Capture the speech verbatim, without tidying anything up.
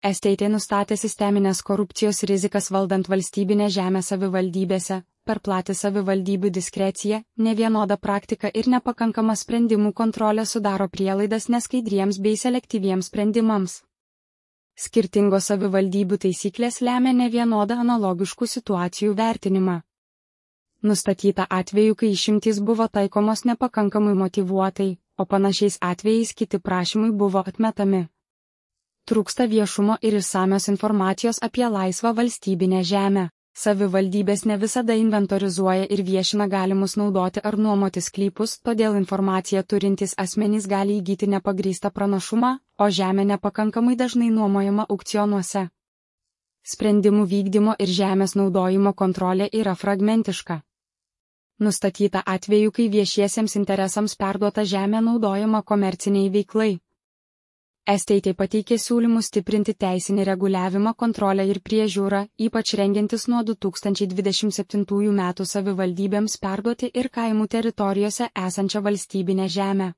Estate nustatė sisteminės korupcijos rizikas valdant valstybinę žemę savivaldybėse, per platį savivaldybių diskreciją, nevienodą praktiką ir nepakankamą sprendimų kontrolę sudaro prielaidas neskaidriems bei selektyviems sprendimams. Skirtingos savivaldybių taisyklės lemia nevienodą analogiškų situacijų vertinimą. Nustatyta atveju, kai išimtys buvo taikomos nepakankamai motyvuotai, o panašiais atvejais kiti prašymai buvo atmetami. Trūksta viešumo ir išsamios informacijos apie laisvą valstybinę žemę. Savivaldybės ne visada inventorizuoja ir viešina galimus naudoti ar nuomoti sklypus, todėl informaciją turintys asmenys gali įgyti nepagrįstą pranašumą, o žemė nepakankamai dažnai nuomojama aukcionuose. Sprendimų vykdymo ir žemės naudojimo kontrolė yra fragmentiška. Nustatyta atveju, kai viešiesiems interesams perduota žemė naudojama komerciniai veiklai. Estate pateikė siūlymus stiprinti teisinį reguliavimą, kontrolę ir priežiūrą, ypač rengiantis nuo du tūkstančiai dvidešimt septintųjų metų savivaldybėms perduoti ir kaimų teritorijose esančią valstybinę žemę.